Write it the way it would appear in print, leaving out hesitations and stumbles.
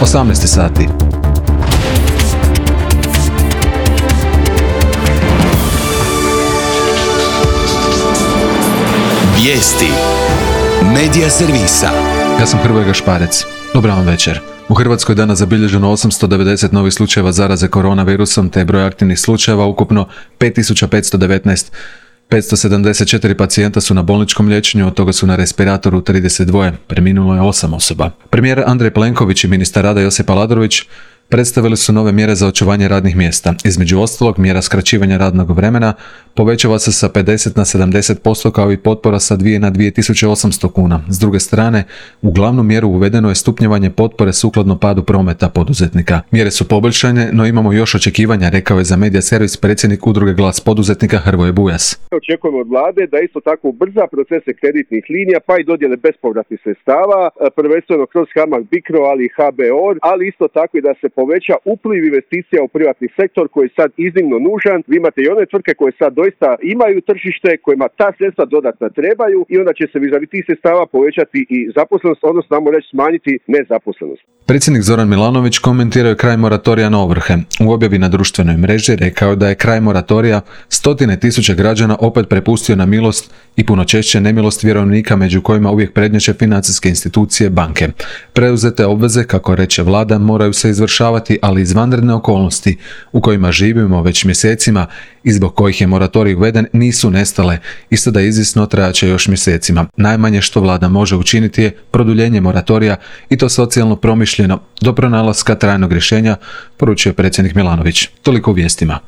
18 sati. Vijesti Medija servisa. Ja sam Hrvoje Gašparec. Dobar vam večer. U Hrvatskoj je danas zabilježeno 890 novih slučajeva zaraze koronavirusom, te je broj aktivnih slučajeva ukupno 5519. 574 pacijenta su na bolničkom liječenju, od toga su na respiratoru 32. Preminulo je 8 osoba. Premijer Andrej Plenković i ministar rada Josip Aladrović predstavili su nove mjere za očuvanje radnih mjesta. Između ostalog, mjera skraćivanja radnog vremena povećava se sa 50 na 70% kao i potpora sa 2 na 2800 kuna. S druge strane, u glavnu mjeru uvedeno je stupnjevanje potpore sukladno padu prometa poduzetnika. Mjere su poboljšane, no imamo još očekivanja, rekao je za Medija servis predsjednik udruge Glas poduzetnika Hrvoje Bujas. Očekujemo od vlade da isto tako ubrza procese kreditnih linija pa i dodjele bespovratnih sredstava, prvenstveno kroz HAMAG Bicro, ali i HBOR, ali isto tako i da se poveća upliv investicija u privatni sektor koji je sad iznimno nužan. Vi imate i one tvrtke koje sad doista imaju tržište, kojima ta sredstva dodatna trebaju i onda će se vizavi tih sredstava povećati i zaposlenost, odnosno znamo reći smanjiti nezaposlenost. Predsjednik Zoran Milanović komentirao je kraj moratorija na ovrhe. U objavi na društvenoj mreži rekao je da je kraj moratorija stotine tisuća građana opet prepustio na milost i puno češće nemilost vjerovnika, među kojima uvijek prednjače financijske institucije, banke. Preuzete obveze, kako reče vlada, moraju se izvršavati, ali izvanredne okolnosti u kojima živimo već mjesecima i zbog kojih je moratorij uveden nisu nestale, isto da izvisno trajaće još mjesecima. Najmanje što vlada može učiniti je produljenje moratorija i to socijalno promišljeno do pronalaska trajnog rješenja, poručio predsjednik Milanović. Toliko u vijestima.